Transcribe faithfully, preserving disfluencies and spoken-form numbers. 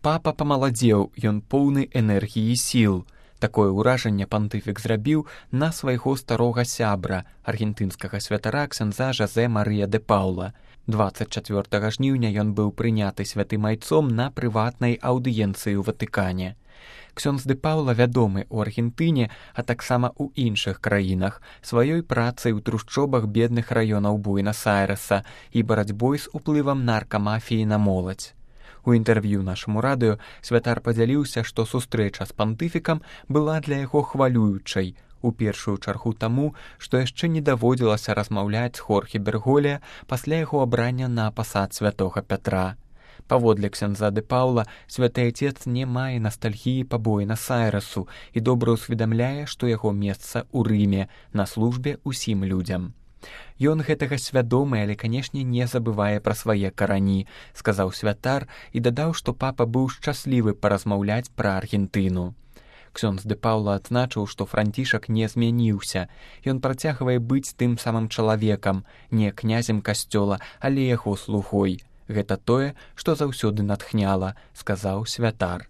Папа памаладзеў, ён поўны энергіі і сіл. Такое ўражанне пантыфік зрабіў на свайго старога сябра, аргентынскага святара ксяндза Жозе Марыя де Паула. дваццаць чацвёртага жніўня ён быў прыняты святым айцом на прыватнай аўдыенцыі ў Ватыкане. Ксёндз де Паула вядомы ў Аргентыне, а таксама ў іншых краінах, сваёй працай у трушчобах бедных раёнаў Буэнас-Айрэса і барацьбой з уплывам наркамафіі на моладзь. У інтэрв'ю нашаму радыё святар падзяліўся, што сустрэча з пантыфікам была для яго хвалюючай, у першую чаргу таму, што яшчэ не даводзілася размаўляць з Хорхе Бергголе пасля яго абрання на пасад святога Пятра. Паводле ксяндза де Паула, святы айцец не мае настальгіі па Буэнас-Айрэсу і добра ўсведамляе, што яго месца ў Рыме, на службе ўсім людзям. Ён гэтага свядомы, але, канешне, не забывае пра свае карані, сказаў святар і дадаў, што папа быў шчаслівы паразмаўляць пра Аргентыну. Ксёндз де Паула адзначыў, што Францішак не змяніўся. Ён працягвае быць тым самым чалавекам, не князем касцёла, але яго слугой. Гэта тое, што заўсёды натхняла, сказаў святар.